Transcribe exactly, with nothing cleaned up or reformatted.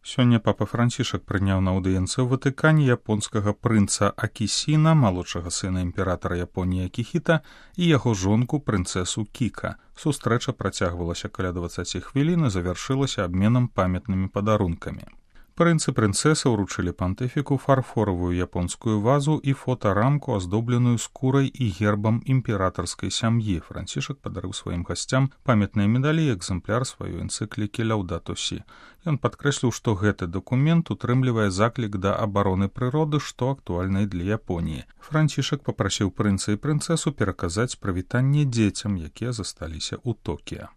Сёння папа Францішак прыняў на аўдыенцыі ў Ватыкане японскага прынца Акісіна, малодшага сына імператара Японіі Акіхіта, і яго жонку прынцэсу Кіка. Сустрэча працягвалася каля дваццаці хвілін і завяршылася абменам памятнымі падарункамі. Прынц і прынцэса ўручылі пантыфіку фарфоравую японскую вазу і фотарамку, аздобленую скурай і гербам імператарскай сям'і. Францішак падарыў сваім гасцям памятныя медалі і экзэмпляр сваёй энцыклікі «Лаўдату сі». Ён падкрэсліў, што гэты дакумент утрымлівае заклік да абароны прыроды, што актуальна і для Японіі. Францішак папрасіў прынца і прынцэсу пераказаць прывітанне дзецям, якія засталіся ў Токіа.